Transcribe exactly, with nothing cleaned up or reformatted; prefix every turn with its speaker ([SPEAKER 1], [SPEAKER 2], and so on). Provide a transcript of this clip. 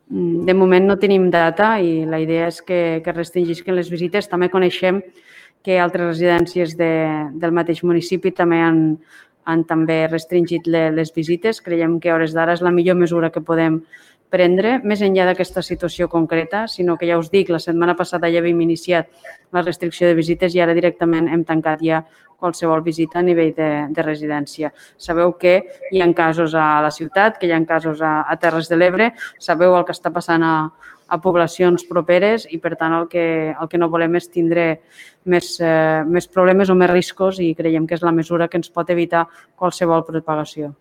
[SPEAKER 1] De moment no tenim data i la idea és que, que restringisquen les visites. També coneixem que altres residències de, del mateix municipi també han, han també restringit le, les visites. Creiem que a hores d'ara és la millor mesura que podem prendre, més enllà d'aquesta situació concreta, sinó que ja us dic, la setmana passada ja havíem iniciat la restricció de visites i ara directament hem tancat ja qualsevol visita a nivell de, de residència. Sabeu que hi ha casos a la ciutat, que hi ha casos a, a Terres de l'Ebre, sabeu el que està passant a, a poblacions properes i, per tant, el que, el que no volem és tindre més, eh, més problemes o més riscos i creiem que és la mesura que ens pot evitar qualsevol propagació.